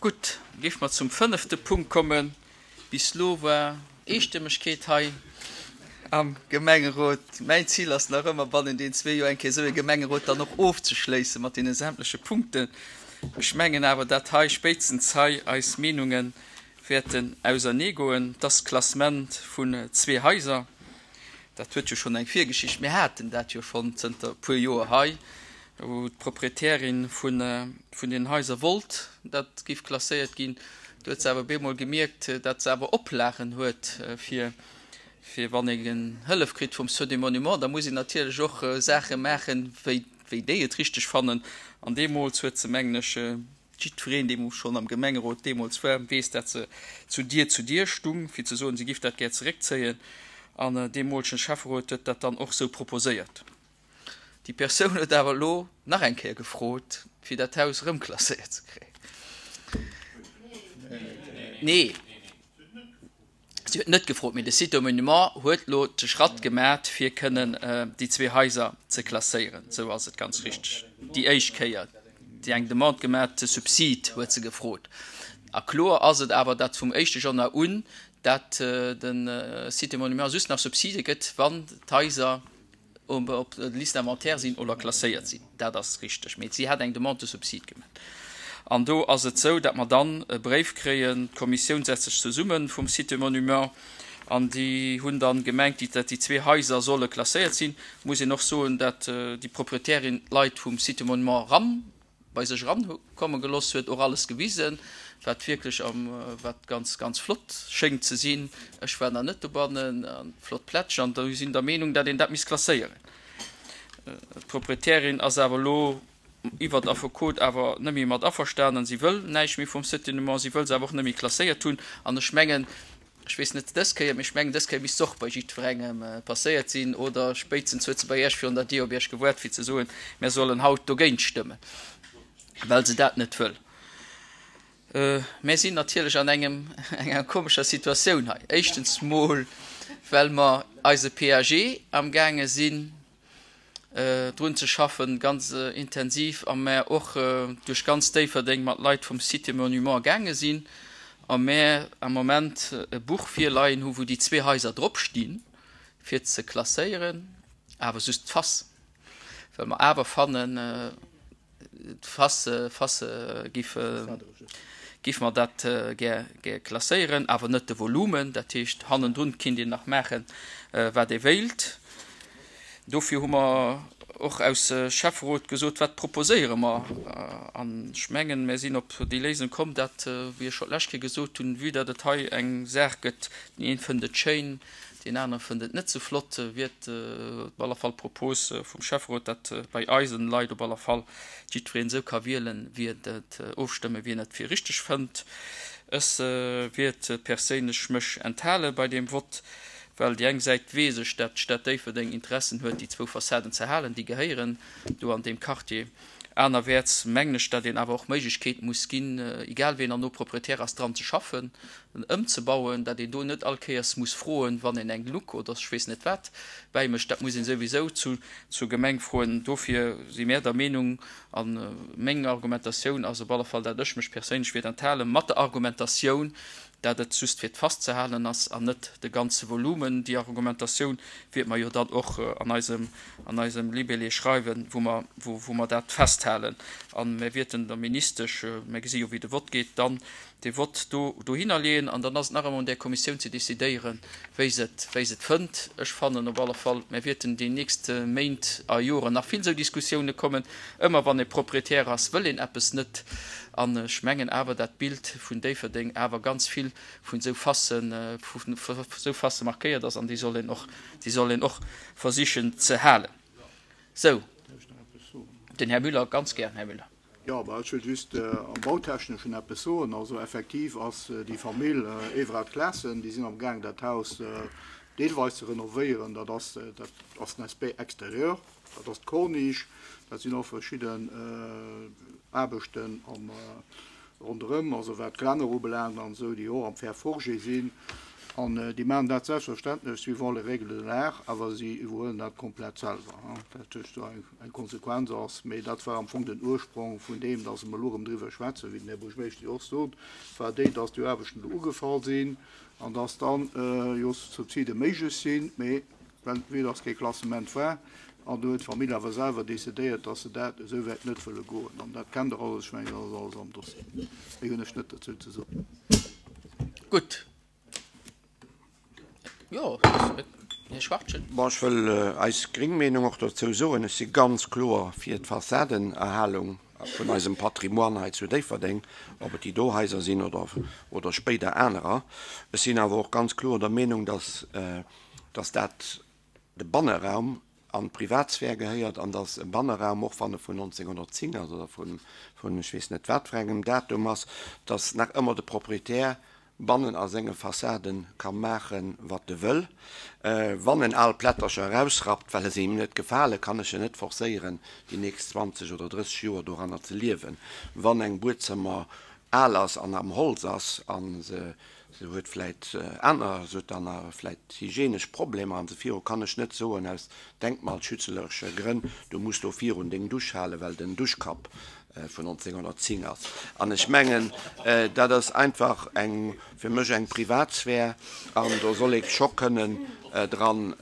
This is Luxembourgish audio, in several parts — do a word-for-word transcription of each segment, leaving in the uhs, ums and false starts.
Gutt, géife mer zum fënnefte Punkt kommen. Bis elo war Eestëmmegkeet hei am Gemengerot. Mäin Zil ass nach ëmmer, bannen den zwee Joer eng Kéier esou e Gemengerot dann och ofzeschléisse mat deene sämtleche Punkten. Ech mengen awer, dat hei spéitstens hei eis Meenunge wäerten auserneegoen. Das Klassement vun zwee Haiser, dat huet jo schonn eng Virgeschicht. Mir haten dat jo schonn zënter e puer Joer hei, wou d'Proprietärin vun, vun den Haiser wollt, dat géif klasséiert ginn. Do huet se awer bemol gemierkt, dat se awer Oplagen huet fir fir wann een Hëllef kritt vum Sceau des Monuments, da muss een natierlech och Saache maachen, wéi wéi déi et richteg fannen. An deemools huet se, mengen ech, jiddwereen, dee schonn am Gemengerot deemools war, weess, dat se zu Dier zu Dier stung, fir ze soen, si giff dat gär zeréckzéien. An deemolegen Schäfferot huet dat dann och sou proposéiert. Déi Persoun huet awer elo nach eng Kéier gefrot, fir dat Haus erëm klasséiert ze kréien. Nee, si huet net gefrot, mee de Site aux Monuments huet elo de Schratt gemat, fir kënnen déi zwee Haiser ze klasséieren. Sou ass et ganz richteg. Déi éischt Kéier déi eng Demande gemat, de Subsid huet se gefrot. A kloer ass et awer, datt vum éischte Januar un, dat de Site des Monuments just nach Subside gëtt, wann d'Haiser op der Liste d'inventaire sinn oder klasséiert sinn. Dat ass richteg. Mee si hat eng Demande de subside gemaach. An do ass et sou, datt mer dann e Bréif kréien, d'Kommissioun setzt sech zesumme vum Site des Monuments an déi hunn dann gemengt, datt déi zwee Haiser solle klasséiert sinn. Muss een och soen, datt déi Proprietärin d'Leit vum Site des Monuments eran bei sech eran komme geloss huet, och alles gewisen, wat wierklech am, wat ganz, ganz flott schéngt ze sinn. Ech war nach net dobannen, an flott Plätsch, an do sinn der Meenung, datt een dat misst klasséieren. D'Proprietärin ass awer elo iwwert Affekot awer net méi mat averstanen. Si wëll näischt méi vum Site des Monuments, si wëll se awer och net méi klasséiert hunn. An ech mengen, ech weess net dës Kéier, mee ech mengen, dës Kéier misst se och bei jiddwerengem passéiert sinn, oder spéitstens huet se bei Iech virun der Dier op Iech gewaart, fir ze soen, mir sollen haut dogéint stëmmen, well se dat net wëll. Mir sinn natierlech an engem, enger komescher Situatioun hei. Éischtens mol, well mer eise P A G amgaange sinn, drun ze schaffen, ganz intensiv, a mer och duerch ganz Déifferdeng mat Leit vum Site des Monuments gaange sinn a mer am Moment e Buch virleien hu wou déi zwee Haiser drop stinn, fir ze klasséieren, awer just d'Face, well mer awer fannen, d'Face Face giff giff mer dat gär gär klasséieren, awer net de Volumen. Dat heescht, hannendrun kinnt een nach maachen, wat ee wéilt. Dofir hu mer och aus Schäfferot gesot, wat proposéiere mer? An ech mengen, mir sinn op déi Léisung komm, dat, wéi ech scho d'lescht Kéier gesot hunn, vue datt et hei eng Saach gëtt, deen een fënnt et schéin, deen anere fënnt et net sou flott, wier et op alle Fall d'Propos vum Schäfferot, dat bei eisen Leit op alle Fall jiddwereen esou ka wielen, wéi en et ofstëmmen, wéi en et fir richteg fënnt. Ech wiert perséinlech mech enthale bei deem Vott, well déi eng Säit weess ech, dat d'Stad Déifferdeng Interessen huet, déi zwou Fassaden ze halen, déi gehéieren do an deem Quartier. Anerwäerts mengen ech, dat een awer och Méiglechkeet muss ginn, egal wien herno Proprietär ass, dran ze schaffen, ëmzebauen, dat een do net all Kéiers muss froen, wann een eng Luck oder ech weess net wat bäimécht. Dat muss een souwisou zu zur Gemeng froen. Dofir si mär der Meenung, a meng Argumentatioun ass op alle Fall, dat ech mech perséinlech wiert enthalen, mat der Argumentatioun, dat et just fir d'Face ze halen ass an net de ganze Volumen. Déi Argumentatioun wiert mer jo dann och an eisem an eisem Libellé schreiwen, wou mer wou wou mer dat festhalen. An mir wierten der Ministesch, mir gesi jo wéi de Vott geet, dann de Vott do dohinner leeën an dann ass et nach ëmmer un där Kommissioun ze decidéieren, wéi se et wéi se et fënnt. Ech fannen op alle Fall, mir wierten déi nächst Méint a Joren nach vill esou Diskussioune kommen. Ëmmer wann ee Proprietär ass, wëll een eppes net. An ech mengen awer, dat d'Bild vun Déifferdeng awer ganz vill vun esou Facen, vun esou Facë markéiert ass an déi soll een och, déi soll een och versichen ze halen. Sou, den Här Müller, ganz gär, Här Müller. Jo, bah, ech wëll just am Bautechneschen eppes soen. Also effektiv ass déi Famill Everard-Claessen, déi sinn am Gaang dat Haus deelweis ze renovéieren. Dat ass, dat ass den Aspect extérieur, dat ass d'Corniche, dat sinn och verschidden Aarbechten am ronderëm, also wat d'Gelänner ubelaangt an esou, déi och am Fer forgé sinn. An déi maachen dat selbstverständlech suivant les règles de l'art, awer si iwwerhuelen dat komplett selwer. Dat heescht, do eng Konsequenz ass, mee dat war am Fong den Ursprong vun deem, dass mer elo erëm driwwer schwätzen, wéi den Här Buergermeeschter jo och sot, war déi, dass déi Aarbechten do ugefall sinn an dass dann jo Subside méiglech sinn, mee well vue dass kee Klassement war, an do huet d'Famill awer selwer decidéiert, dass se dat esou wäit net wëlle goen. An dat kennt Der alles, ech mengen, dat ass alles am Dossier. Méi hunn ech net dozou ze soen. Gutt. Jo, Här Schwachtgen. Bon, ech wëll eis gréng Meenung och dozou soen. Ech si ganz kloer fir d'Fassadenerhalung vun eisem Patrimoine hei zu Déifferdeng, ob et déi do Haiser sinn oder, oder spéider anerer. Ech sinn awer och ganz kloer der Meenung, dass, dass dat de Banneraum an d'Privatsphär gehéiert an dass e Banneraum, och wann e vun nonzénghonnertzéng ass oder vun, vun ech weess net wat fir engem Datum ass, dass nach ëmmer de Proprietär bannen a senge Fassaden ka maachen, wat e wëll. Wann en al Plättercher erausrappt, well se him net gefalen, kann ech en net forcéieren, déi nächst zwanzeg oder drësseg Joer doranner ze liewen. Wann eng Buedzëmmer al ass an am Holz ass a se huet vläit aner, se huet dann vläit hygienesch Problemer an esou viru, kann ech net soen, aus denkmalschützeleresche Grënn, du muss do virun deng Dusch halen, well den Duschkapp vun nonzénghonnertzéng ass. An ech mengen, dat ass einfach eng, fir mech eng Privatsphär an do soll ee scho kënnen dran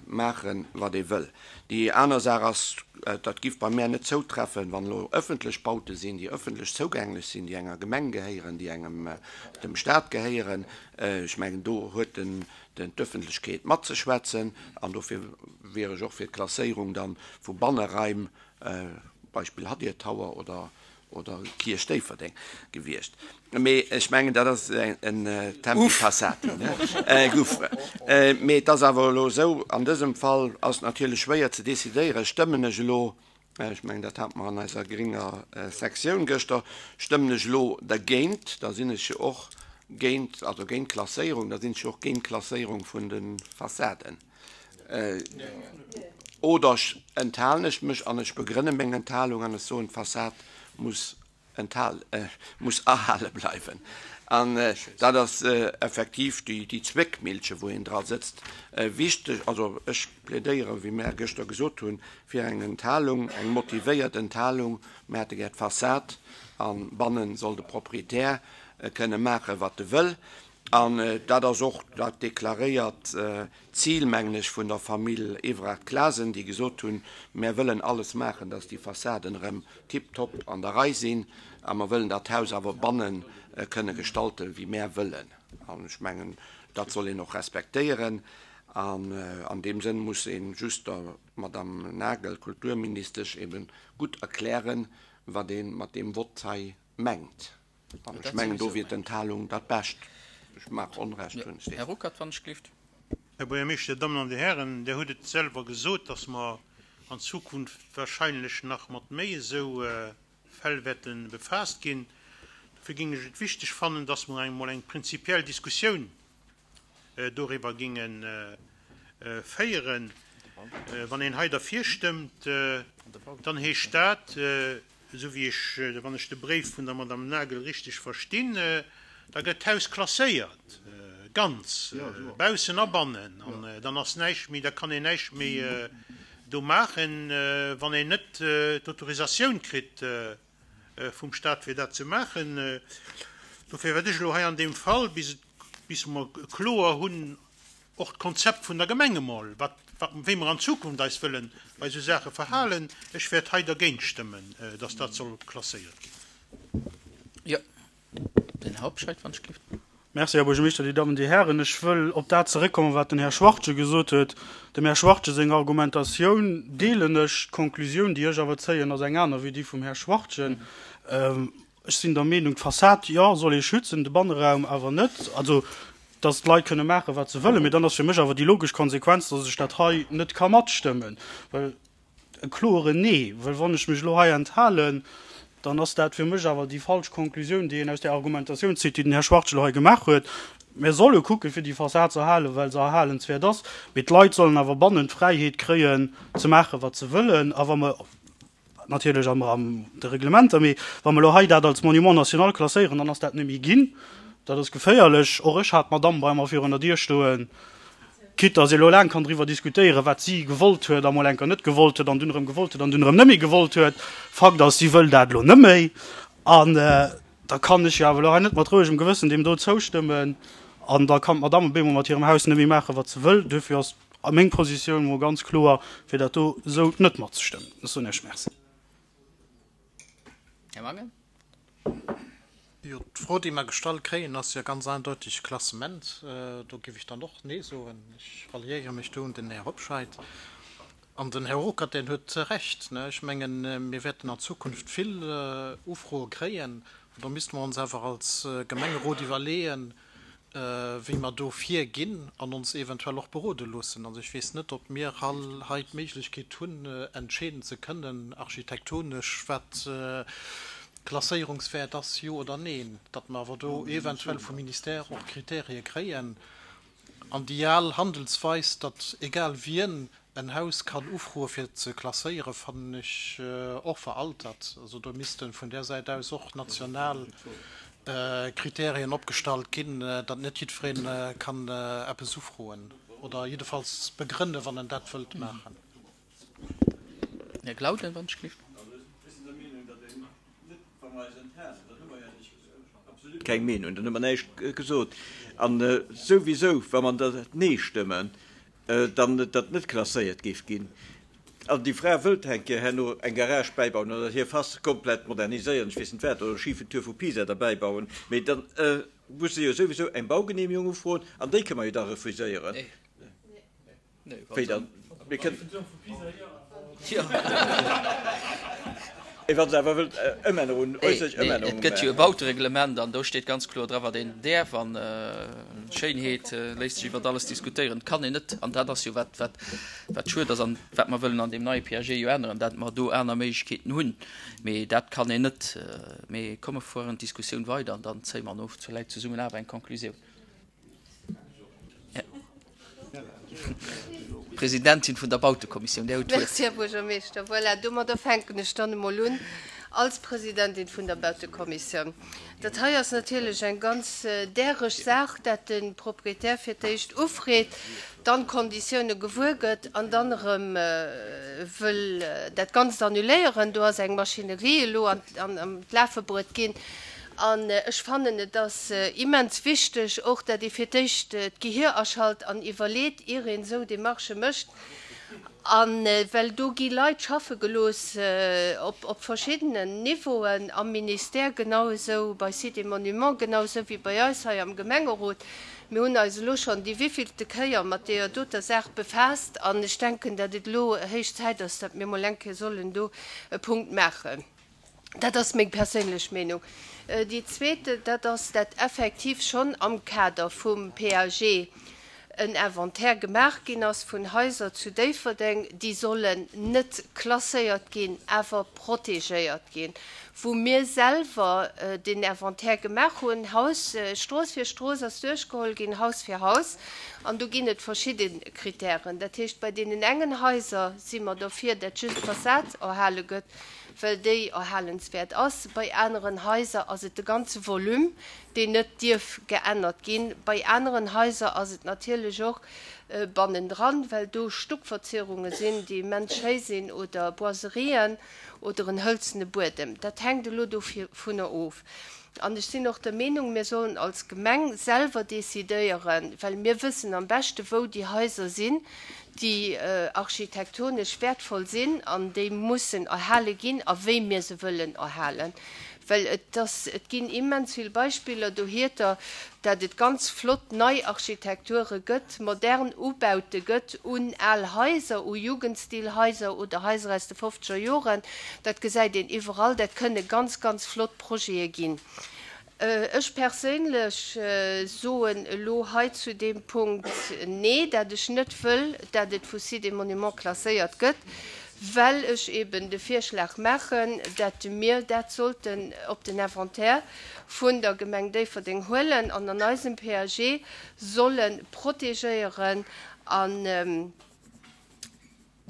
maachen, wat ee wëll. Déi aner Saach ass, dat giff bei mär net zoutreffen, wann elo ëffentlech Baute sinn, déi ëffentlech zougänglech sinn, déi enger Gemeng gehéieren, déi engem, dem Stat gehéieren. Ech mengen, do huet den, den d'Ëffentlechkeet matzeschwätzen an dofir wier ech och fir d'Klasséierung dann vu Banneraim, Beispill Hadir Tower oder, oder Kierch Déifferdeng gewiescht. Mee ech mengen, dat ass en Tempi passati, ne? Gouffre. Mee et ass awer elo esou, an dësem Fall ass et natierlech schwéier ze decidéieren, stëmmen ech elo, ech mengen, dat hate mer an eiser grénger Sektioun gëschter, stëmmen ech elo dergéint, da sinn ech jo och géint, also géint d'Klasséierung, da sinn ech jo och géint d'Klasséierung vun de Fassaden. Oder enthalen ech mech an ech begrënne meng Enthalung an ech soen, d'Fassad muss enthal, muss erhale bleiwen. An dat ass effektiv déi, déi Zwéckmillche, wou een dra sëtzt. Wichteg, also ech plädéieren, wéi mär gëschter gesot hunn, fir eng Enthalung, eng motivéiert Enthalung. Mär hätte gär d'Fassad a bannen soll de Proprietär kënne maachen, wat e wëll. An dat ass och dat deklaréiert Zil, mengen ech, vun der Famill Evrard-Clasen, déi gesot hunn, Mär wëllen alles maachen, dass déi Fassaden erëm tiptop an der Rei sinn a mer wëllen dat Haus awer banne kënne gestalten, wéi mär wëllen. An ech mengen, dat soll een och respektéieren. An an deem Sënn muss ee just der Madame Nagel, Kulturministesch, ebe gutt erklären, wat ee mat deem Vott hei mengt. An ech mengen, do wier d'Enthalung dat Bescht. Ech mag Onrecht hunn, ech weess. Här Ruckert, wann ech gelift. Här Buergermeeschter, Dir Dammen an Dir Hären, Dir hutt et selwer gesot, dass mer an Zukunft wahrscheinlech nach mat méi esou Fäll wäerte befaasst ginn. Dofir géing ech et wichteg fannen, dass mer emol eng prinzipiell Diskussioun doriwwer géinge féieren. Wann een hei derfir stëmmt, dann heescht dat, esou wéi ech, wann ech de Bréif vun der Madame Nagel richteg verstinn, da gëtt d'Haus klasséiert, ganz, baussen a bannen, an dann ass näischt méi, da kann een näischt méi do maachen, wann een net d'Autorisatioun kritt vum Stat, fir dat ze maachen. Dofir wäert ech elo hei an deem Fall, bis et, bis mer kloer hunn, och d'Konzept vun der Gemeng emol, wat, wat, wéi mer an Zukunft eis wëlle bei esou Saache verhalen, ech wäert hei dergéint stëmmen, dass dat soll klasséiert ginn. Jo, den Här Hobscheit, wann ech gelift. Merci, Här Buergermeeschter, Dir Dammen, Dir Hären. Ech wëll op dat zeréckkommen, wat den Här Schwachtgen gesot huet. Dem Här Schwachtgen seng Argumentatioun deelen ech. D'Konklusioun, déi ech awer zéien, ass eng aner wéi déi vum Här Schwachtgen. Ech sinn der Meenung, d'Fassad, jo, soll ee schützen, de Banneraum awer net. Also, dass d'Leit kënne maachen, wat se wëllen. Mee dann ass fir mech awer déi logesch Konsequenz, dass ech dat hei net ka matstëmmen. Well e kloeren Nee, well wann ech mech elo hei enthalen, dann ass dat fir mech awer déi falsch Konklusioun, déi een aus där Argumentatioun zitt, déi den Här Schwachtgen elo hei gemaach huet. Mir solle kucken, fir déi Fassad ze erhalen, well se erhalenswäert ass. Mee d'Leit sollen awer bannen d'Fräiheet kréien, ze maachen, wat se wëllen. A wa mer, natierlech am Ram de Reglementer, mee wa mer elo hei dat als Monument national klasséieren, dann ass dat net méi ginn. Dat ass geféierlech. Och ech hat d'Madamm bei mer virun der Dier stoen. Quitte dass ee lo laang kann driwwer diskutéieren, wat si gewollt huet a mol eng Kéier net gewollt huet an dunn erëm gewollt huet an dunn erëm net méi gewollt huet. Fakt ass, si wëll dat elo net méi. An da kann ech jo awer elo hei net mat rouegem Gewëssen deem do zoustëmmen. An da kann d'Madamm op eemol mat hirem Haus net méi maachen, wat se wëll. Duerfir ass meng Positioun mol ganz kloer, fir dat do esou net matzestëmmen. Ech soen Iech Merci. Här Mangen. Jo, d'Fro, déi mer gestallt kréien, ass jo ganz eindeutig Klassement. Do géif ech dann och Nee soen. Ech ralliéiere mech do un den Här Hobscheit. An den Här Ruckert, deen huet Recht. Ech mengen, mir wäerten an Zukunft vill Ufroe kréien. An do misste mer ons awer als Gemengerot iwwerleeën, wéi mer do virginn an ons eventuell och berode loossen. Also ech weess net, ob mir hei d'Méiglechkeet hunn, entscheeden ze kënnen architektonesch, wat Klasséierungswäert ass, jo oder neen, datt mer awer do eventuell vum Ministère och Kriterie kréien. An déi al Handelsweis, datt egal wien en Haus kann ufroe fir ze klasséieren, fannen ech och veraltert. Also do misste vun där Säit aus och national Kriterien opgestallt ginn, datt net jiddweree kann eppes ufroen oder jiddefalls begrënne wann en dat wëllt maachen. Här Glauden, wann ech gelift. Keng Meenung, dann hu mer näischt gesot. An souwisou, wa mer dat Nee stëmmen, dann datt net klasséiert géif ginn. An déi Fra wëllt eng Kéier herno eng Garage bäibauen oder hir Fass komplett moderniséieren, ech weess net wat, oder e schifen Tuer vu Pisa derbäibauen, mee dann muss se jo souwisou eng Baugenehmigung ufroen an déi kënne mer jo da refuséieren. Wéi dann? Mir kënnen. Mee wa se awer wëllt Ëmännerungen, äusserlech Ëmännerungen Et gëtt jo e Bautereglement an do steet ganz kloer dra wat een däerf an Schéinheet léisst sech iwwert alles diskutéieren. Et kann een net, an dat ass jo wat wat wat schued ass an wat mer wëllen an deem neie PAG jo änneren, dat mer do aner Méiglechkeeten hunn. Mee dat kann een net. Mee komm mer fueren d'Diskussioun weider an dann zéie mer no vläicht zesummen awer eng Konklusioun. Presidentin vun der Bautekommissioun, Där hutt d'Wuert. Merci, Här Buergermeeschter. Voilà, domadder fänken ech dann emol un als Presidentin vun der Bautekommissioun. Dat hei ass natierlech eng ganz däreg Saach, dat de Proprietär fir d'éischt ufreet, dann d'Konditioune gewuer gëtt an dann erëm wëll dat Ganzt annuléieren. Do ass eng Maschinerie elo an d'Lafe bruet ginn. An ech fannen, et ass immens wichteg och, dat ee fir d'éischt d'Gehir aschalt an iwwerleet, ier een esou Démarchë mécht. A well do gi Leit schaffe gelooss op verschiddenen Niveauen, am Ministère genau esou, bei Sites et Monuments genau esou wéi bei eis hei am Gemengerot. Mir hunn eis elo schonn déi wéivillte Kéier mat deeër doter Saach befaasst an ech denken, dat et elo héich Zäit ass, dat mir mol eng Kéier sollen do e Punkt maachen. Dat ass meng perséinlech Meenung. Déi zweet, dat ass, dat effektiv schonn am Kader vum PAG en Inventaire gemaach ginn ass vun Haiser zu Déifferdeng, déi sollen net klasséiert ginn, awer protegéiert ginn, wou mir selwer deen Inventaire gemaach hunn, Haus, Strooss fir Strooss ass duerchgeholl ginn, Haus fir Haus, an do ginn et verschidde Kritären. Dat heescht, bei deenen engen Haiser si mer dofir, dat just d'Fassad erhale gëtt, well déi erhalenswäert ass. Bei aneren Haiser ass et de ganze Volume, deen net dierf geännert ginn. Bei aneren Haiser ass et natierlech och bannendran, well do Stuckverzierunge sinn, déi immens schéi sinn, oder Boiserien oder en hëlzene Buedem. Dat hänkt elo dovunner of. An ech sinn och der Meenung, mir sollen als Gemeng selwer decidéieren, well mir wëssen am beschte wou déi Haiser sinn, déi architektonesch wäertvoll sinn an déi mussen erhale ginn a wéi mir se wëllen erhalen. Well et ass, et ginn immens vill Beispiller dohierter, dat et ganz flott nei Architekture gëtt, modern Ubaute gëtt un al Haiser, u Jugendstilhaiser oder Haiser aus de fofzeger Joren. Dat gesäit een iwwerall. Dat kënne ganz, ganz flott Projete ginn. Ech perséinlech soen elo hei zu deem Punkt Nee, dat ech net wëll, dat et vu Sites et Monuments klasséiert gëtt, well ech eben de Virschlag maachen, dat mir dat sollten op den Inventaire vun der Gemeng Déifferdeng huelen an an eisem PAG solle protegéieren an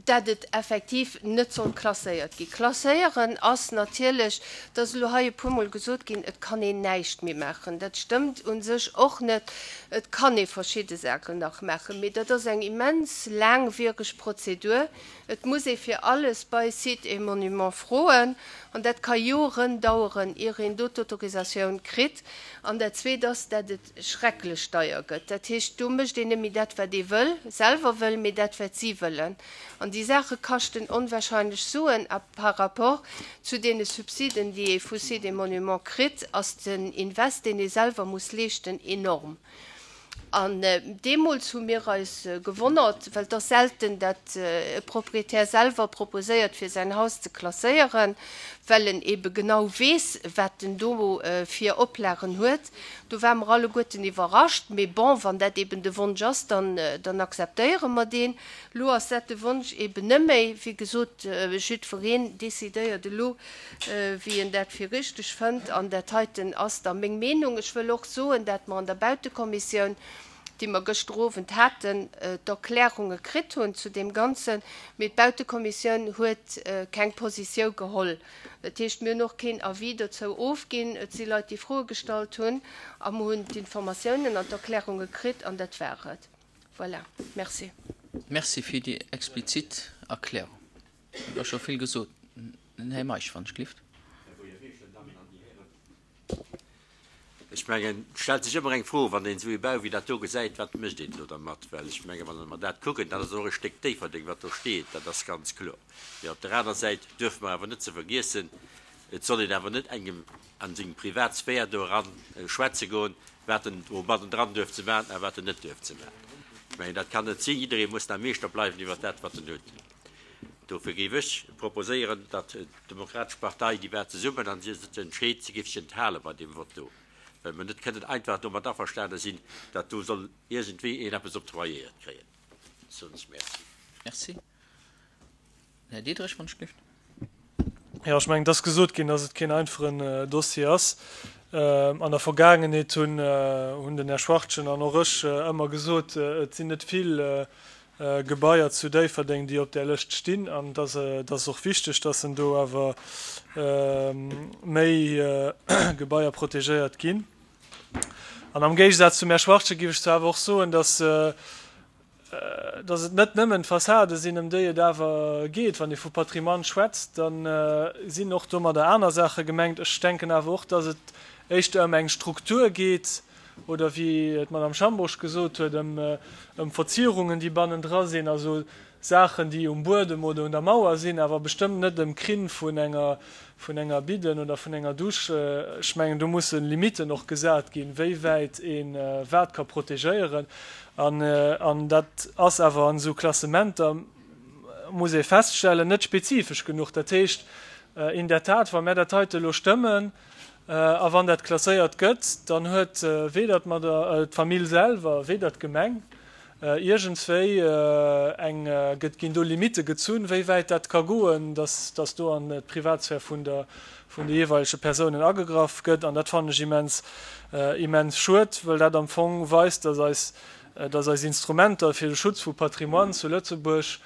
Dat et effektiv net soll klasséiert ginn. Klasséieren ass natierlech, et ass elo hei e puermol gesot ginn, et kann een näischt méi maachen. Dat stëmmt u sech och net. Et kann ee verschidde Saachen nach maachen, mee dat ass eng immens laangwiereg Prozedur. Et muss ee fir alles bei Sites et Monuments froen an dat ka Joren daueren, ier een do d'Autorisatioun kritt. An dat Zweet ass, dat et schrecklech deier gëtt. Dat heescht, do mécht een net méi dat, wat ee wëll, selwer wëll, mee dat, wat si wëllen. An déi Saache kaschten onwahrscheinlech Suen a par rapport zu deene Subsiden, déi ee vu Sites et Monuments kritt, ass den Invest, deen ee selwer muss leeschten, enorm. An deemools hu mir eis gewonnert, well et ass selten, datt e Proprietär selwer proposéiert, fir säin Haus ze klasséieren, well en ebe genau weess, wat en do fir Oplagen huet. Do ware mer alleguerten iwwerrascht. Mee bon, wann dat eben de Wonsch ass, dann, dann akzeptéiere mer deen. Elo ass dat de Wonsch eben net méi. Wéi gesot, jiddwereen decidéiert elo, wéi en dat fir richteg fënnt. An dat heiten ass da meng Meenung. Ech wëll och soen, dat mer an der Bautekommissioun, déi mer gëschter Owend haten, d'Erklärunge kritt hunn zu deem Ganzen, mee d'Bautekommissioun huet keng Positiou geholl. Dat heescht, mir hunn och keen Avis dozou ofginn. Et si Leit, déi Froe gestallt hunn, a mer hunn d'Informatiounen an d'Erklärunge kritt, an dat war et. Voilà. Merci. Merci fir déi explizit Erklärung. Et ass scho vill gesot. Den Här Meisch, wann ech glift. Ech mengen, et stellt sech ëmmer eng Fro, wann een esou ee Bau wéi dat do gesäit, wat mécht een elo dermat? Well ech mengen, wann mer dat kucken, dat ass och e Stéck Déifferdeng, wat do steet, dat ass ganz kloer. Mee op der aner Säit duerfe mer awer net ze vergiessen, et soll een awer net engem a seng privat Sphär do eran schwätze goen, wat en do bannendran duerf ze maachen a wat en net duerf ze maachen. Ech mengen, dat kann net sinn. Jidderee muss da Meeschter bleiwen iwwert dat, wat en huet. Dofir géif ech proposéieren, datt d'Demokratesch Partei, déi war zesummen a si huet sech entscheet, si géif sech enthale bei deem Vott do, well mer net kënnen einfach domat averstane sinn, datt do soll iergendwéi een eppes octroyéiert kréien. Soen ech Merci. Merci. Här Diderich, wann ech dierft. Jo, ech mengen, et ass gesot ginn, datt et keen einfachen Dossier ass. An der Vergaangenheet hunn den Här Schwachtgen an och ech ëmmer gesot, et sinn net vill Gebaier zu Déifferdeng, déi op där Lëscht stinn, an et ass och wichteg, dass en do awer méi Gebaier protegéiert ginn. An am Géigesaz zum Här Schwachtgen géif ech zwar awer och soen, dass, dass et net nëmmen d'Fassade sinn, ëm déi et awer geet. Wann ee vu Patrimoine schwätzt, da sinn och domadder aner Saache gemengt. Ech denken awer och, dass et éischter ëm eng Struktur geet, oder wéi d'Madame Schambourg gesot huet, ëm Verzierungen, déi bannendra sinn, also Saachen, déi um Buedem oder un der Mauer sinn, awer bestëmmt net ëm Krinn vun enger, vun enger Bidden oder vun enger Dusch. Ech mengen, do musse Limitten och gesat ginn, wéi wäit ee wat ka protegéieren. An, an dat ass awer an esou Klassementer, muss ee feststellen, net spezifesch genuch. Dat heescht, in der Tat, wa mär dat heite elo stëmmen, A wann dat klasséiert gëtt, dann huet weder d'Famill selwer, weder d'Gemeng iergendswéi eng, gëtt, ginn do Limitte gezunn, wéi wäit dat ka goen, dass, dass do an d'Privatsphär vun der, vun de jeeweilege Persounen agegraff gëtt. An dat fannen ech immens, immens schued, well dat am Fong weist, dass eis, dass eis Instrumenter fir de Schutz vu Patrimoine zu Lëtzebuerg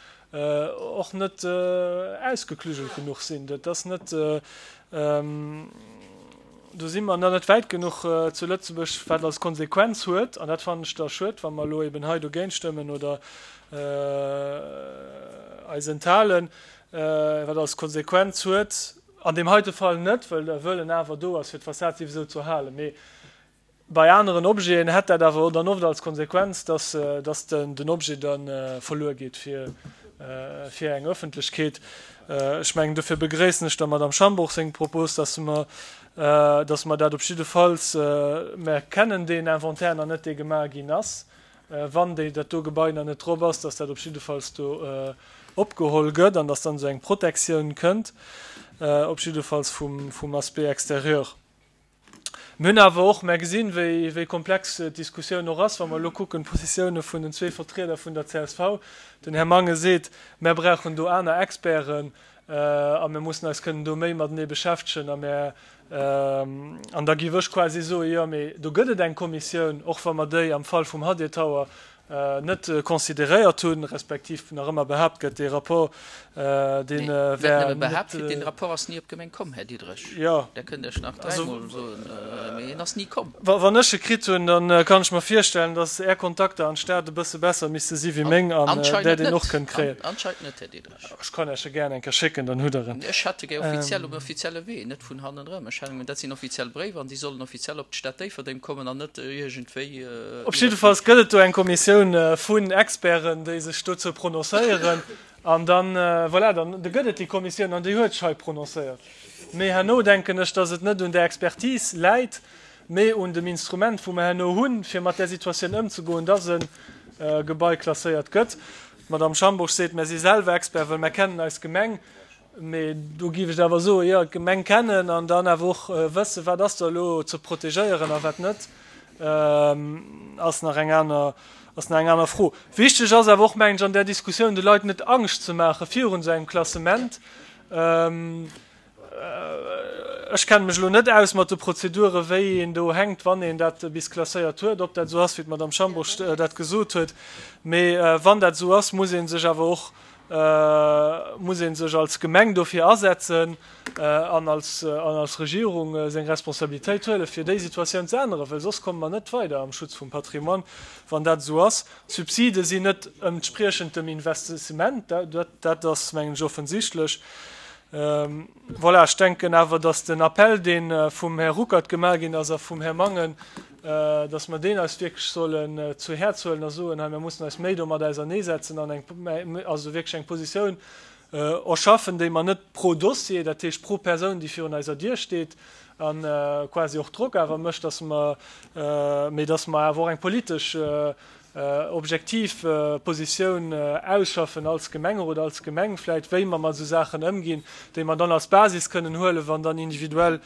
och net ausgeklügelt genuch sinn. Dat ass net, do si mer nach net wäit genuch zu Lëtzebuerg, wat als Konsequenz huet, an dat fannen ech da schued, wa mer elo eben hei dogéint stëmmen oder eis enthalen, wat als Konsequenz huet, an deem heite Fall net, well de Wëllen awer do ass, fir d'Fassad souwisou ze erhalen, mee Bei aneren Objeten hätt dat awer dann oft als Konsequenz, dass dass den Objet da verluer geet fir fir eng Ëffentlechkeet. Ech mengen, dofir begréissen ech der Madame Schambourg seng Propos, dass mer dass mer dat op jiddefalls, mer kennen deen Inventaire nach net, dee gemaach ginn ass, wann déi dat do Gebai nach net drop ass, dass dat op jiddefalls do opgeholl gëtt an dass dann esou eng Protektioun kënnt, op jiddefalls vum vum Aspect extérieur. Mir hunn awer och, mer gesinn, wéi, wéi komplex d'Diskussioun och ass, wa mer elo kucken, d'Positioune vun den zwee Vertrieder vun der csv. Den Här Mangen seet, Mer brauchen do aner Experten a mir mussen eis kënnen do méi matenee beschäftegen. A mer, an da géif ech quasi soen, jo, mee do gëtt et eng Kommissioun, och wa mer déi am Fall vum Hadir Tower net consideréiert hunn, respektiv nach ëmmer behaapt gëtt, dee Rapport, dee wär net. Behaapt gëtt, deen Rapport ass ni op d'Gemeng komm, Här Diderich. Jo. Dat kënnt Iech nach dräimol soen, mee en ass ni komm. Wann ech e kritt hunn, da kann ech mer virstellen, datt Är Kontakter an d'Stad e bësse besser misste si wéi meng an Der deen och kënnt kréien. Anscheinend net, Här Diderich. Ech kann Iech e gären eng Kéier schécken, dann hutt Der en. Ech hätt e gär offiziell, um offizielle Wee, net vun hannendrëm. Ech hätt, dat sinn offiziell Bréiwer an déi sollen offiziell op d'Stad Déifferdeng kommen an net iergendwéi. Op jiddefalls gëtt et do eng Kommissioun vun Experten, déi sech dozou prononcéieren. An dann, voilà, dann gëtt et déi Kommissioun an déi huet sech hei prononcéiert. Mee herno denken ech, dass et net un där Expertise läit, mee un dem Instrument, wou mer herno hunn, fir mat där Situatioun ëmzegoen, dass e Gebai klasséiert gëtt. D'Madame Schambourg seet, Mer si selwer Expert, well mer kennen eis Gemeng. Mee do géif ech awer soen, jo, d'Gemeng kennen an dann awer och wëssen, wat ass da elo ze protegéieren a wat net, ass nach eng aner, ass nach eng aner Fro. Wichteg ass awer och, mengen ech, an där Diskussioun de Leit net Angscht ze maache virun esou engem Klassement. Ech kenne mech elo net aus mat de Prozeduren, wéi een do hänkt, wann een dat bis klasséiert huet, ob dat esou ass, wéi d'Madame Schambourg dat gesot huet. Mee wann dat esou ass, muss ee sech awer och, muss ee sech als Gemeng dofir asetzen an als, an als Regierung seng Responsabilitéit huelen, fir déi Situatioun ze änneren, well soss komme mer net weider am Schutz vum Patrimoine, wann dat esou ass. D'Subside sinn net entspriechend dem Investissement, dat, dat ass, mengen ech, offensichtlech. Voilà, ech denken awer, datt den Appell, dee vum Här Ruckert gemaach ginn ass a vum Här Mangen, datt mer deen eis wierklech sollen zu Häerz huelen a soen, hei, mir mussen eis méi domat auserneesetzen an eng, also wierklech eng Positioun erschaffen, déi mer net pro Dossier, dat heescht pro Persoun, déi virun eiser Dier steet a quasi och Drock awer mécht, datt mer, mee datt mer awer och eng politesch objektiv Positioun ausschaffen als Gemengerot, als Gemeng vläit, wéi mer mat esou Saachen ëmginn, déi mer dann als Basis kënnen huelen, wann dann individuell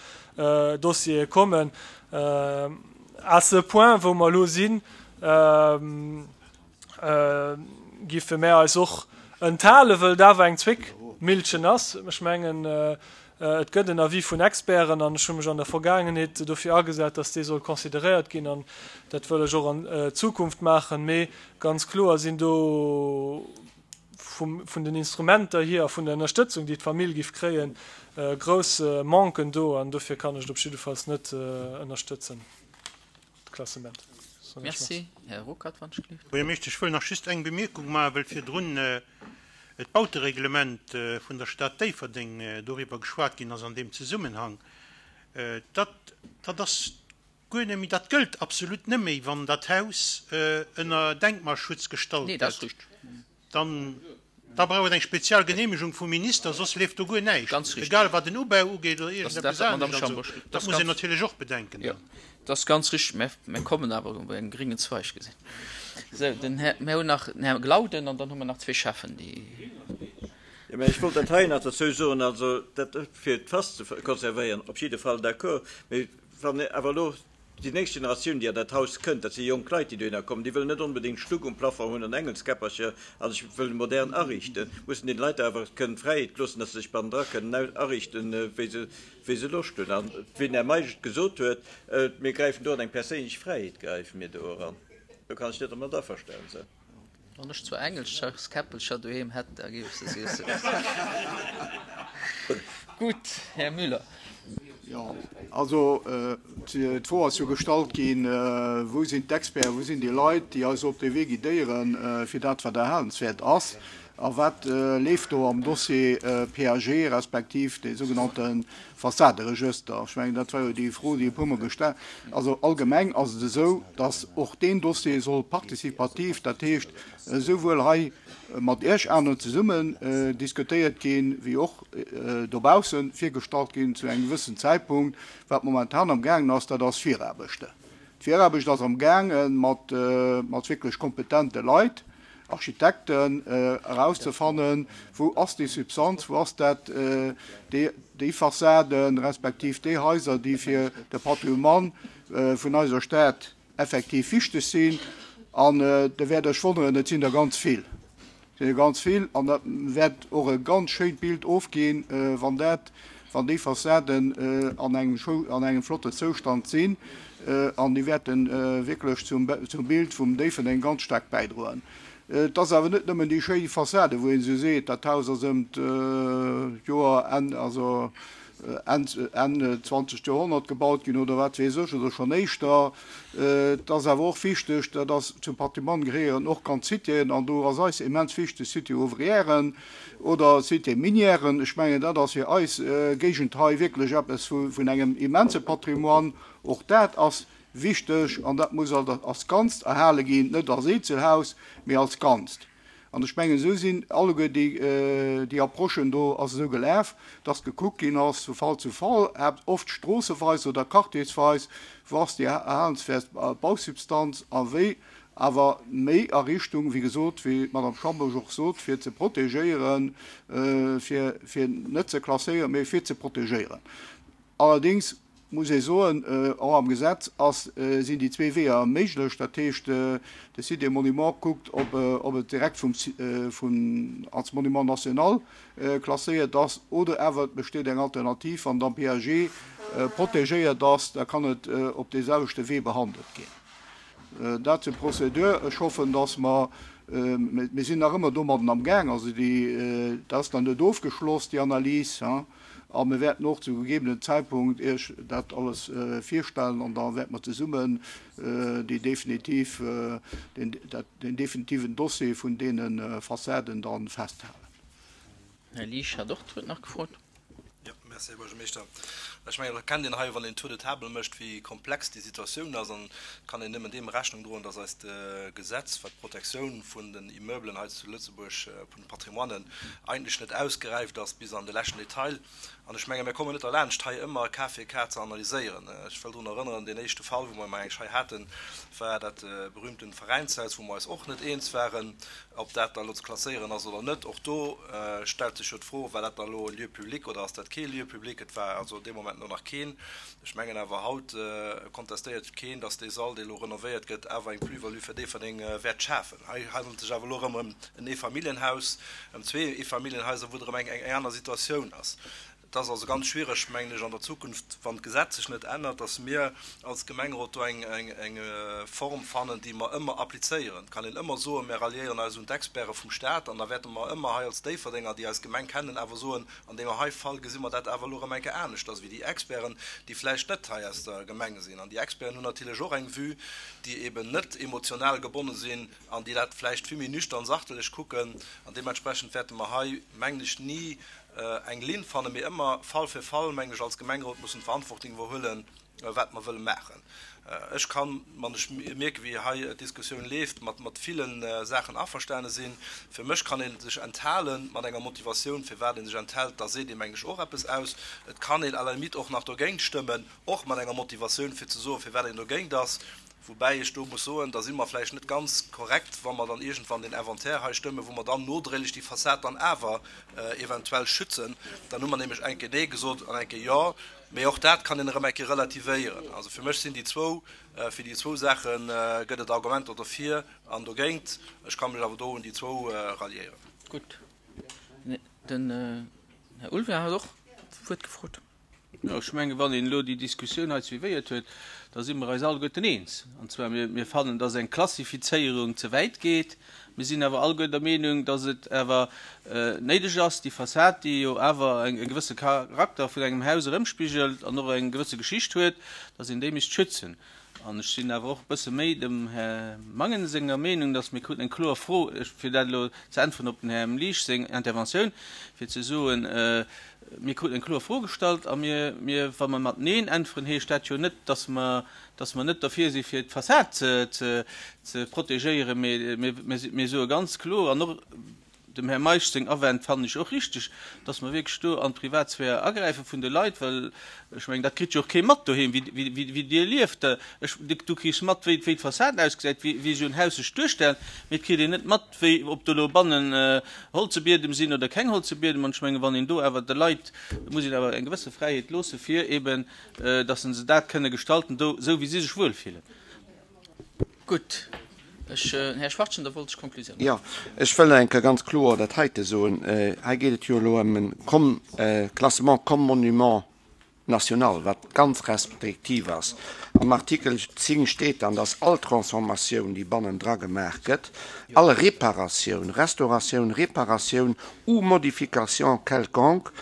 Dossiere kommen. À ce point, wou mer elo sinn, giffe mär eis och enthalen, wëll et awer eng Zwéckmillchen ass. Ech mengen, Et gëtt en Avis vun Experten an ech hu mech an der Vergaangenheet dofir agesat, dass dee soll consideréiert ginn an dat wëll ech och an Zukunft maachen. Mee ganz kloer sinn do vun den Instrumenter hier a vun der Ënnerstëtzung, déi d'Famill giff kréien, grouss Manquen do an dofir kann ech et op jiddefalls net ënnerstëtzen, d'Klassement. Merci. Här Ruckert, wann ech gelift. Buergermeeschter, ech wëll nach just eng Bemierkung maachen, well virdrun d'Bautereglement vun der Stad Déifferdeng doriwwer geschwat ginn ass an deem Zesummenhang. Dat, dat ass guer net méi, dat gëllt absolut net méi, wann dat Haus ënner Denkmalschutz gestallt gëtt. Dann, da brauch et eng spezial Genehmegung vum Minister, soss leeft do guer näischt, egal wat den Ubau ugeet oder iergendeppes anescht. Also, dat muss een natierlech och bedenken dann. Dat ass ganz richtig. Mä mir kommen awer op engem gréngen Zweig gesinn. Sou, den Här, mir hunn nach den Här Glauden an dann hu mer nach zwee Schäffen, déi. Jo, mä ech wollt dat hei nach derzou soen, also dat fir d'Fass ze konservéieren, op jidde Fall d'accord, mä wann awer elo déi nächst Generatioun, déi an dat Haus kënnt, dat si jonk Leit, déi dohinner kommen, déi wëllen net onbedéngt Stuck um Plafond hunn an Engelskäppercher a sech wëllen modern ariichten, mussen deene Leit awer kënnen d'Fräiheet loossen, dass se sech bannendra kënnen ariichten, wéi se wéi se Loscht hunn. An wéi den Här Meisch et gesot huet, mir gräifen do an eng perséinlech Fräiheet gräife mir do eran. Do kann ech net dermat averstanen sinn. Wann ech zwar Engelskäppelcher doheem hätt, da géif ech se s'iessen. Gutt, Här Müller. Jo, also d'Fro ass jo gestallt ginn, Wou sinn d'Experten, wou sinn déi Leit, déi eis op dee Wee guidéieren, fir dat, wat erhalenswäert ass? A wat leeft do am Dossier P A G respektiv dee sougenannte Fassaderegëster? Ech mengen, dat war jo déi Fro, déi e puermol gesta. Also allgemeng ass et esou, datt och deen Dossier soll participativ, dat heescht esouwuel hei mat Iech aneren zesummen diskutéiert ginn, wéi och dobausse virgestallt ginn zu engem gewëssen Zäitpunkt. Wat momentan am gaangen ass, dat ass Viraarbechten. D'Viraarbecht ass am gaange mat wierklech kompetente Leit, Architekten, erauszefannen, wou ass déi Substanz, wou ass dat, déi Fassade respektiv déi Haiser, déi fir de Patrimoine vun eiser Stad effektiv wichteg sinn. An Der wäert Iech wonneren, et sinn der ganz vill. Et sinn der ganz vill an dat wäert och e ganz schéint Bild ofginn, wann dat, wann déi Fassaden an engem an engem flotten Zoustand sinn, an déi wäerte wierklech zum zum Bild vum Déifferdeng ganz staark bäidroen. Et ass awer net nëmmen déi schéi Fassade, wou een esou seet, dat Haus ass ëm d'Joer Enn, also Enn, Enn zwanzegt Joerhonnert gebaut ginn oder wat weess ech, oder schonn éischter. Et ass awer och wichteg, dat ass zum Patrimoine gehéieren och ganz Citéen, an do ass eis immens wichteg Cité ouvrièren oder Cité minièren. Ech mengen, dat ass fir eis Géigend hei wierklech eppes vun engem immense Patrimoine. Och dat ass wichteg an dat muss als Ganzt erhale ginn, net als Eenzelhaus, mee als Ganzt. An ech mengen, esou sinn alleguer déi, déi Approchen do ass esou gelaf, dass gekuckt ginn ass vu Fall zu Fall, oft stroosseweis oder quartiersweis, wou ass déi erhalenswäert Bausubstanz a wéi, awer méi a Richtung, wéi gesot, wéi d'Madame Schambourg och sot, fir ze protegéieren, fir, fir net ze klasséieren, mee fir ze protegéieren. Allerdéngs muss ee soen, och am Gesetz ass, sinn déi zwee Weeër méiglech. Dat heescht, de Site des Monuments kuckt, ob, ob et direkt vum, vun, als Monument national klasséiert ass oder awer et besteet eng Alternativ, wann et am P A G protégéiert ass, da kann et op dee selwechte Wee behandelt ginn. Dat zur Prozedur. Ech hoffen, dass mer, mir sinn nach ëmmer domadden am Gaang, also déi, dat ass nach net ofgeschloss, déi Analys, hein. A mir wäerten och zu gegebenen Zeitpunkt Iech dat alles virstellen an da wäerte mer zesummen déi definitiv, den, dat, den definitiven Dossier vun deene Fassaden dann festhalen. Här Liesch hat och d'Wuert nach gefrot. Jo, merci, Här Buergermeeschter. Ech mengen, et erkennt een hei, wann een Tour de table mécht, wéi komplex déi Situatioun ass. An et kann een nëmmen deem Rechnung droen, dass eist Gesetz, wat d'Protektioun vun den Immeublen hei zu Lëtzebuerg, vun de Patrimoinen, eigentlech net ausgeräift ass bis an de leschten Detail. An ech menge mir kommen net derlaanscht, hei ëmmer Cas fir Cas ze analyséieren. Ech wëll drun erënneren, deen éischte Fall, wou mer eng hei haten, war dat berühmten Veräinshaus, wou mer eis och net eens waren, ob dat da elo ze klasséieren ass oder net. Och do stellt sech jo d'Fro, War dat da elo e Lieu public oder ass dat kee Lieu public? Et war also dee Moment elo nach keen. Ech mengen awer, haut kontestéiert keen, dass dee Sall, dee elo renovéiert gëtt, awer eng Plus-value fir Déifferdeng wäert schafen. Hei handelt et sech awer elo erëm ëm en Eefamilljenhaus, ëm zwee Eefamilljenhaiser, wou et erëm eng aner Situatioun ass. Et ass also ganz schwierig, mengen ech, an der Zukunft, wann d'Gesetz sech net ännert, dass mir als Gemengerot do eng, eng, eng Form fannen, déi mer ëmmer applizéieren. Et kann een ëmmer soen, mir ralliéieren eis un d'Experte vum Stat an da wäerte mer ëmmer hei als Déifferdenger, déi eis Gemeng kennen, awer soen, an deem hei Fall gesi mer dat awer elo erëm eng Kéier aneschters wéi déi Experten, déi vläicht net hei aus der Gemeng sinn. An déi Experten hunn natierlech och eng Vue, déi eben net emotional gebonne sinn an déi dat vläicht vill méi nüchtern, sachtelech kucken. An deementsprechend wäerte mer hei, mengen ech, ni eng Linn fannen, mee ëmmer Fall fir Fall, mengen ech, als Gemengerot mussen d'Verantwortung iwwerhuelen, wat mer wëlle maachen. Ech kann, wann ech mierken, wéi hei d'Diskussioun leeft, mat mat ville Saachen averstane sinn. Fir mech kann ee sech enthalen mat enger Motivatioun, firwat ee sech enthält, da seet ee, mengen ech, och eppes aus. Et kann een à la limite och nach dogéint stëmmen, och mat enger Motivatioun, fir ze soen, firwat een dogéint ass. Woubäi ech do muss soen, da si mer vläicht net ganz korrekt, wa mer dann iergendwann deen Inventaire hei stëmmen, wou mer dann nodréiglech déi Fassad dann awer eventuell schützen. Dann hu mer nämlech eng Kéier Nee gesot an eng Kéier Jo. Mee och dat kann een erëm eng Kéier relativéieren. Also fir mech sinn déi zwou, fir déi zwou Saache gëtt et Argumenter dofir an dogéint. Ech ka mech awer do un déi zwou ralliéieren. Gutt. Den Här Ulveling hat och d'Wuert gefrot. Jo, ech mengen, wann een elo déi Diskussioun hei suivéiert huet, da si mer eis alleguerten eens. An zwar, mir, mir fannen, dass eng Klassifizéierung ze wäit geet. Mir sinn awer alleguer der Meenung, dass et awer néideg ass, déi Fassad, déi jo awer e gewësse Charakter vun engem Haus erëmspigelt an och eng gewësse Geschicht huet, dass een déi misst schützen. An ech sinn awer och e bësse méi dem Här Mangen senger Meenung, dass mir kruten eng kloer Fro, fir dat elo ze äntweren op den Här Liesch seng Interventioun, fir ze soen, mir kruten eng kloer Fro gestallt a mir, mir, wa mer mat Neen äntweren, heescht dat jo net, dass mer, dass mer net derfir si fir d'Fassad ze, ze, ze protegéieren, mee mir, mir soe ganz kloer an och, Dem Här Meisch seng Awänn fannen ech och richteg, dass mer wierklech do an d'Privatsphär agräife vun de Leit, well ech mengen, dat kritt jo och kee mat doheem, wéi Dir lieft. Ech, du kriss mat, wéi d'Fassad ausgesäit, wéi esou en Haus sech duerstellt, mee et kritt een net mat, wéi, ob do elo bannen holze Biedem sinn oder keng holze Biedem. An ech mengen, wann een do awer de Leit, muss een awer eng gewësse Fräiheet loosse fir eben, dass se dat kënne gestalten do, esou wéi si sech wuelfillen. Gutt. Ech, Här Schwachtgen, da wollt ech d'Konklusioun Jo, ech wëll eng Kéier ganz kloer dat heite soen. Hei geet et jo elo ëm e Com, Classement comme monument national, wat ganz restriktiv ass. Am Artikel zéng steet dann, dass all Transformatioun, déi bannendra gemaach gëtt, all Reparatioun, Restauratioun, Reparatioun ou modification quelconque,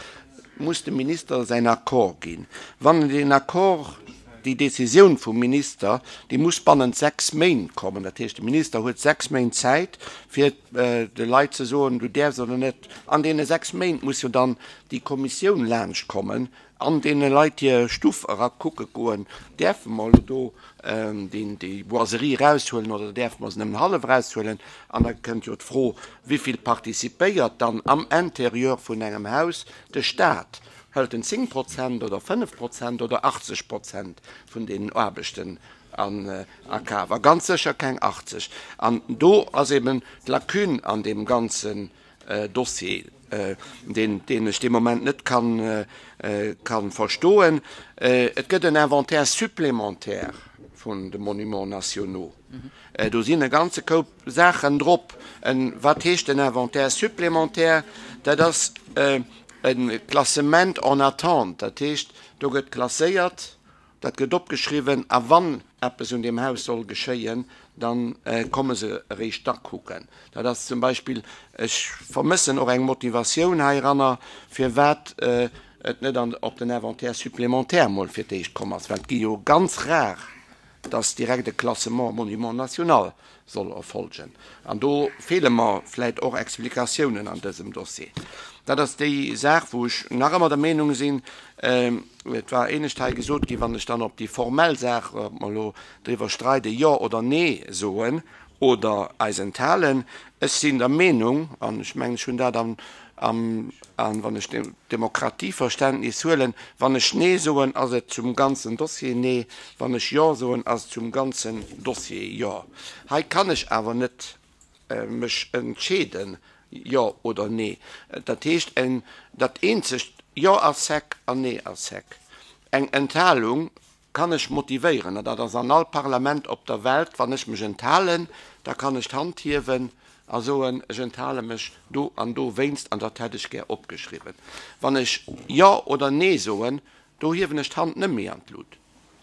muss de Minister säin Accord ginn. Wann en deen Accord, déi Décisioun vum Minister, déi muss bannent sechs Méint kommen. Dat heescht, de Minister huet sechs Méint Zäit, fir de Leit ze soen, du däerfs oder net. An deene sechs Méint muss jo dann déi Kommissioun laanschtkommen an deene Leit hir Stuff erakucke goen, Däerfe mer elo do déi Boiserie eraushuelen oder däerfe mer se nëmmen hallef eraushuelen? An da kënnt jo d'Fro, Wivill participéiert dann am Intérieur vun engem Haus de Stat? Hëlt en zéng Prozent oder fënnef Prozent oder achtzeg Prozent vun deenen Aarbechten a Kaf? A ganz sécher keng achtzeg. An do ass eben d'Lacune an deem ganzen Dossier, deen ech dee Moment net ka verstoen. Et gëtt en Inventaire supplémentaire vun de Monuments nationaux. Do sinn e ganze Koup Saachen drop. Wat heescht en Inventaire supplémentaire? Dat ass e Klassement en attente. Dat heescht, do gëtt klasséiert, dat gëtt opgeschriwwen, a wann eppes un deem Haus soll geschéien, da komme se eréischt da kucken. Dat ass zum Beispill, ech vermëssen och eng Motivatioun heiranner, firwat et net op den Inventaire supplémentaire mol fir d'éischt komm ass, well et gi jo ganz rar, dass direkt e Classement Monument national soll erfolgen. An do feele mer vläicht och Explikatiounen an dësem Dossier. Dat ass déi Saach, wou ech nach ëmmer der Meenung sinn, et war éinescht hei gesot ginn, wann ech dann op déi formell Saach, ob mer elo driwwer streiden, Jo oder Nee soen oder eis enthalen, ech sinn der Meenung, an ech mengen, ech hunn dat am, am, wann ech d'Demokratieverständnis huelen, wann ech Nee soen, ass et zum ganzen Dossier Nee, wann ech Jo soen, ass et zum ganzen Dossier Jo. Hei kann ech awer net mech entscheeden, Jo oder Nee. Dat heescht, dat eenzegt Jo ass sec an Nee ass sec. Eng Enthalung kann ech motivéieren, an dat ass an all Parlament op der Welt, wann ech mech enthalen, da kann ech d'Hand hiewen a soen, ech enthale mech do an do wéinst an dat hätt ech gär opgeschriwwen. Wann ech Jo oder Nee soen, do hiewen ech d'Hand net méi an d'Lut,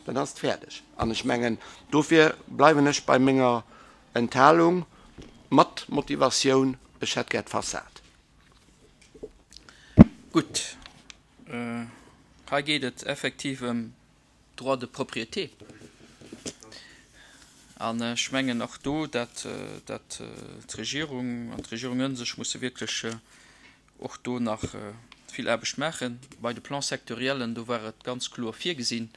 dann ass et fäerdeg. An ech mengen, dofir bleiwen ech bei menger Enthalung mat Motivatioun, ech hätt gär d'Fassad. Gutt, hei geet et effektiv ëm Droit de propriété. An ech mengen och do, dat dat d'Regierung an d'Regierungen sech musse wierklech och do nach vill Aarbecht maachen. Bei de Plans sectoriellen, do war et ganz kloer virgesinn,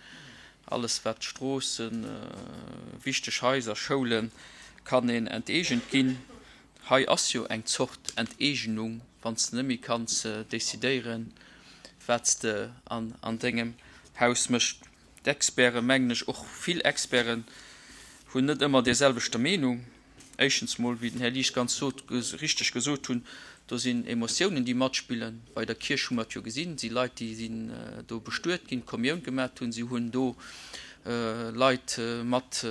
alles wat Stroossen, wichteg Haiser, Schoulen, kann een enteegent ginn. Hei ass jo eng Zort Enteegnung, wann s de net méi kanns decidéieren, wat s de an dengem Haus méchs. D'Experten, mengen ech, och vill Experten hunn net ëmmer där selwechter Meenung. Éischtens mol, wéi den Här Liesch ganz sot, richteg gesot hunn, do sinn Emotiounen, déi matspillen. Bei der Kierch hu mer et jo gesinn, et si Leit, déi sinn do bestuet ginn, d'Kommioun gemat hunn, si hunn do Leit mat,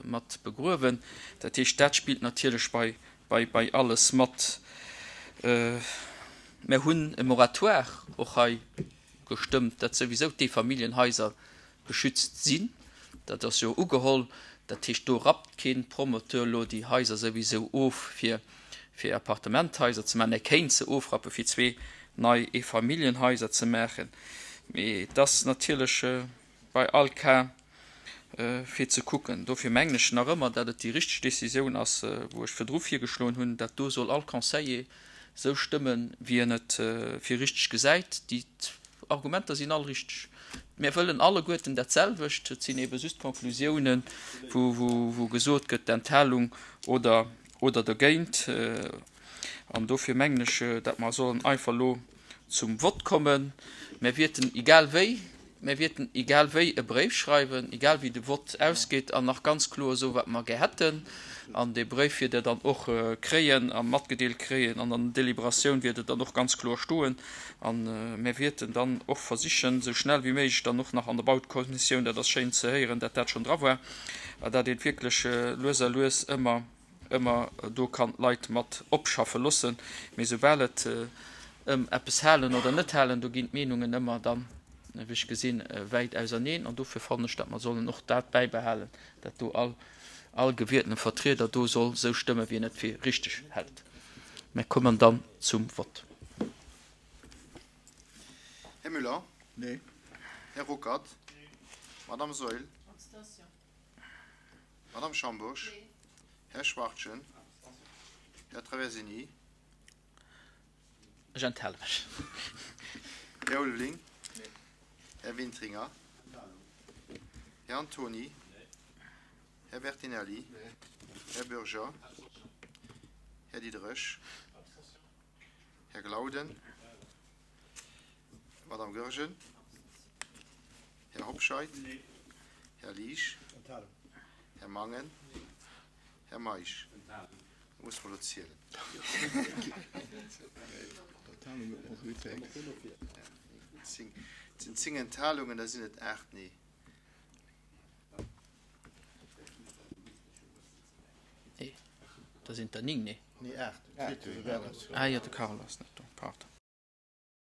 mat begruewen. Dat heescht, dat spillt natierlech bei, bei, bei alles mat. Mer hunn e Moratoire och hei gestëmmt, datt souwisou d'Eefamilljenhaiser geschützt sinn. Dat ass jo ugeholl. Dat heescht, do rappt kee Promoteur elo déi Haiser souwisou of, fir fir Appartementhaiser ze maachen. E kéint se ofrappe fir zwee nei Eefamilljenhaiser ze maachen. Mee et ass natierlech bei all Cas fir ze kucken. Dofir mengen ech nach ëmmer, datt et déi richteg Décisioun ass, wou ech virdru virgeschloen hunn, dat do soll all Conseiller sou stëmmen, wéi en et fir richteg gesäit. Déi Argumenter sinn all richteg. Mir wëllen alleguerten dat selwecht. Et sinn eebe just Konklusiounen, wou gesot gëtt, d'Enthalung oder oder dergéint. An dofir mengen ech, datt mer sollen einfach elo zum Vott kommen. Mir wierten egal wéi Mir wierten egal wéi e Bréif schreiwen, egal wéi de Vott ausgeet, an nach ganz kloer soen, wat mer gär hätten. An dee Bréif wiert Der dann och kréien a matgedeelt kréien an an der Deliberatioun wiert et dann och ganz kloer stoen. A mir wierten dann och versichen, esou schnell wéi méiglech dann och nach an der Bautekommissioun, dat ass schéin ze héieren, dat dat schonn dra war, dat een wierklech lues a lues ëmmer, ëmmer do kann d'Leit mat opschaffe loossen. Mee soubal et ëm eppes halen oder net halen, do ginn d'Meenungen ëmmer dann, wéi ech gesinn, wäit auserneen. An dofir fannen ech, datt mer sollen och dat bäibehalen, datt do all, all gewieltene Vertrieder do soll esou stëmmen, wéi en et fir richteg hält. Mir kommen dann zum Vott. Här Müller? Nee. Här Ruckert? Nee. Madame Saeul? Abstention. Madame Schambourg? Nee. Här Schwachtgen? Här Traversini? Ech enthale mech. Här Ulveling? Nee. Här Wintringer? Här Antoni? Nee. Här Bertinelli? Nee. Här Bürger? Här Diderich? Här Glauden? Madame Goergen? Här Hobscheit? Nee. Här Liesch? Här Mangen? Nee. Här Meisch? Da muss mer elo zielen. Et sinn zéng Enthalungen, da sinn et aacht Nee. Nee, da sinn et der ning Nee. Nee, aacht. Ah jo, de Carlo ass net do, pardon.